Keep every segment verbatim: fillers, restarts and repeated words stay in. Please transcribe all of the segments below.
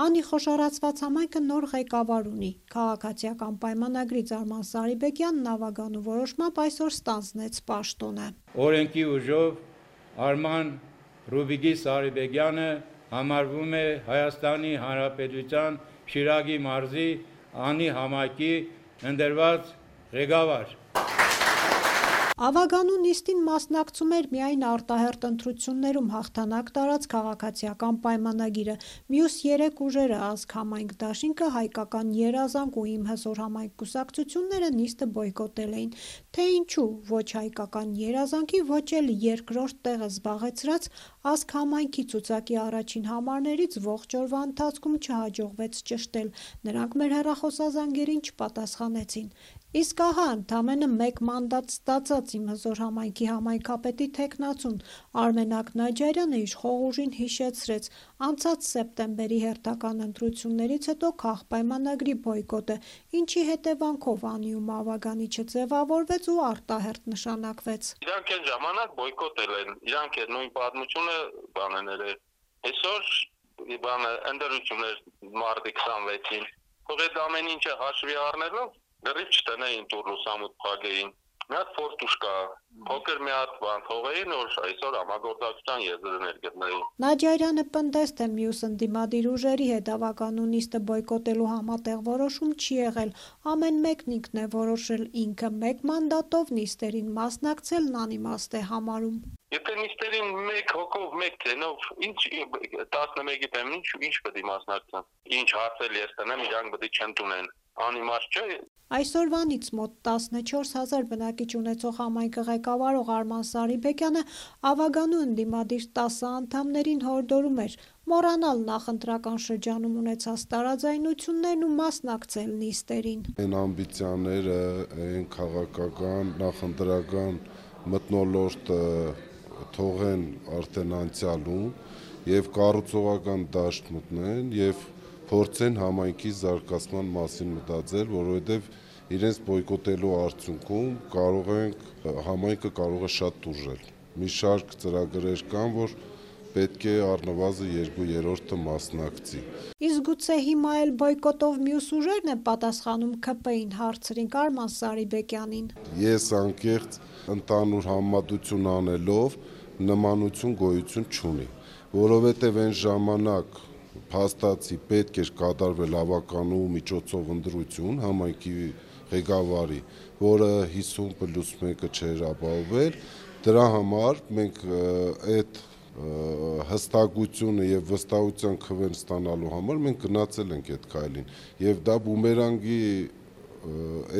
Անի խոշորացված համայնքը նոր ղեկավար ունի։ Քաղաքացիական պայմանագրի Արման Սարիբեկյանն Ավագանու որոշմամբ այսօր ստանձնեց պաշտոնը։ Օրենքի ուժով Արման Ռուբիկի Սարիբեկյանը համարվում է Հայաստանի Հանրապետության Շիրակի մարզի Անի համայնքի ընտրված ղեկավար։ Ավագանու նիստին մասնակցում էր միայն արտահերթ ընտրություններում հաղթանակ տարած քաղաքացիական պայմանագիրը, մյուս երեք ուժերը՝ Ազգ համայնք դաշինքը, Հայկական երազանք ու Իմ հզոր համայնք կուսակցությունները նիստը բոյկոտել էին, թե ինչու ոչ Հայկական երազանքի, ոչ էլ երկրորդ տեղը զբաղեցրած Ազգ համայնքի ցուցակի առաջին համարներից ողջ օրվա ընթացքում չհաջողվեց ճշտել, նրանք մեր հեռախոսազանգերին չպատասխանեցին։ Իսկ ահա ընդամենը մեկ մանդատ ստացած Իմ հզոր համայնքի համայնքապետի թեկնածուն Արմենակ Նաջարյանը իր խոհուժին հիշեցրեց անցած սեպտեմբերի հերթական ընտրություններից հետո քաղպայմանագրի բոյկոտը, ինչի հետևանքով Անիում Ավագանի չձևավորվեց ու արտահերթ նշանակվեց։ Իրանք այն ժամանակ բոյկոտել են, իրանք է նույն պատմությունը բաներ էր։ Այսօր բանը ընդրություններ մարտի քսանվեցին։ Թող այդ ամեն ինչը հաշվի առնելով դեռ չտնեին տուրլուսամուտ փագեին։ Մի հատ ֆորտուշ կա, փոքր մի հատ բան թողեին, որ այսօր համագործակցության եզրներ գտնեին։ Նաջարյանը պնդեց, թե մյուս ընդդիմադիր ուժերի հետ Ավագանու նիստը բոյկոտելու համատեղ որոշում չի եղել, ամեն մեկն ինքն է որոշել, ինքը մեկ մանդատով նիստերին մասնակցելն անիմաստ է համարում։ Եթե նիստերին մեկ հոգով, մեկ թենով, ինչ տասնմեկի թեմ, ինչ ինչ պետք է մասնակցեն։ Ինչ հարցել ես տնեմ, իրանք պետք է չընդունեն։ Անիմաստ չէ։ Այսօրվանից մոտ տասնչորս հազար բնակիչ ունեցող համայնքը ղեկավարող Արման Սարիբեկյանը Ավագանու ընդդիմադիր տասը անդամներին հորդորում էր մոռանալ նախընտրական շրջանում ունեցած տարաձայնություններն ու մասնակցել նիստերին։ Այն ամբիցիաները, այն քաղաքական, նախընտրական մթնոլորտը թողեն արդեն անցյալում եւ կառուցողական դաշտ մտնեն եւ փորձեն համայնքի զարգացման մասին մտածել, որովհետև իրենց բոյկոտելու արդյունքում կարող ենք համայնքը կարող է շատ տուժել։ Մի շարք ծրագրեր կան, որ պետք է առնվազն երկու երրորդը մասնակցի։ Իսկ գուցե հիմա էլ բոյկոտով մյուս ուժերն են պատասխանում ՔՊ-ին, հարցրինք Արման Սարիբեկյանին։ Ես անկեղծ ընդհանուր համատություն անելով նմանություն գոյություն չունի, որովհետև այն ժամանակ փաստացի պետք էր կատարվել Ավագանու միջոցով ընտրություն համայնքի ղեկավարի, որը հիսուն պլյուս մեկը չէր ապահովել, դրա համար մենք այդ հստակությունը եւ վստահության քվեն ստանալու համար մենք գնացել ենք այդ քայլին եւ դա բումերանգի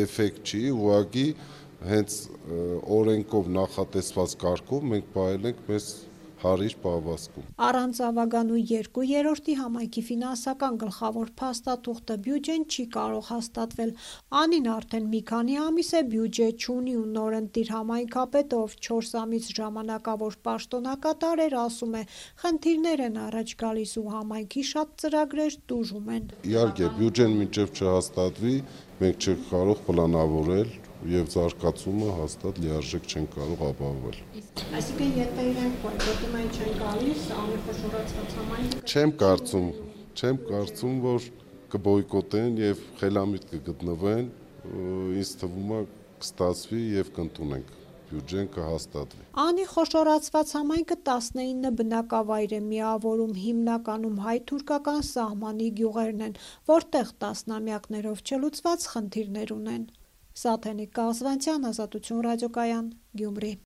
էֆեկտ չի, ուղղակի հենց օրենքով նախատեսված կարգով մենք պահել ենք մեզ հարիր պահվածքում։ Առանց Ավագանու երկու երրորդի համայնքի ֆինանսական գլխավոր փաստաթուղթը բյուջեն չի կարող հաստատվել։ Անին արդեն մի քանի ամիս է բյուջե չունի ու նորընտիր համայնքապետը, ով չորս ամիս ժամանակավոր պաշտոնակատար էր, ասում է, խնդիրներ են առաջ գալիս ու համայնքի շատ ծրագրեր տուժում են։ Իհարկե, բյուջեն մինչև չհաստատվի, մենք չենք կարող պլանավորել եւ զարգացումը հաստատ լիարժեք չեն կարող ապահովել։ Այսինքն եթե իրենք բոյկոտում են չեն գալիս, անի խոշորացված համայնքը։ Չեմ կարծում, չեմ կարծում, որ կբոյկոտեն եւ խելամիտ կգտնվեն, ինձ թվում է կստացվի եւ կընդունենք, բյուջեն կհաստատվի։ Անի խոշորացված համայնքը տասնինը բնակավայր է միավորում, հիմնականում հայ-թուրքական սահմանի գյուղերն են, որտեղ տասնամյակներով չլուծված խնդիրներ ունեն։ Սաթենիկ Կազվանցյան, Ազատություն ռադիոկայան, Գյումրի։